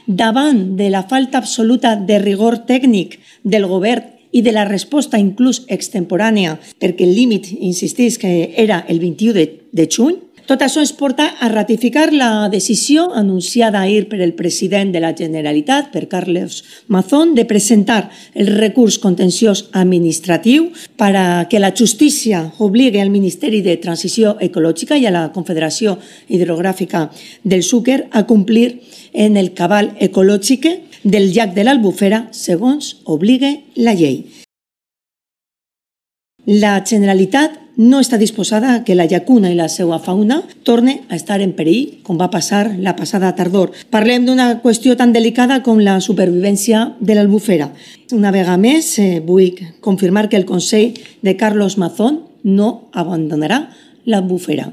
davant de la falta absoluta de rigor tècnic del govern i de la resposta inclús extemporània, perquè el límit, insistís, que era el 21 de juny, tot això ens porta a ratificar la decisió anunciada ahir per el president de la Generalitat, per Carlos Mazón, de presentar el recurs contenciós administratiu para que la justícia obligue al Ministeri de Transició Ecològica i a la Confederació Hidrogràfica del Xúquer a complir en el cabal ecològic del llac de l'Albufera, segons obligue la llei. La Generalitat no està disposada a que la llacuna i la seva fauna torne a estar en perill, com va passar la passada tardor. Parlem d'una qüestió tan delicada com la supervivència de l'Albufera. Una vegada més, vull confirmar que el Consell de Carlos Mazón no abandonarà l'Albufera.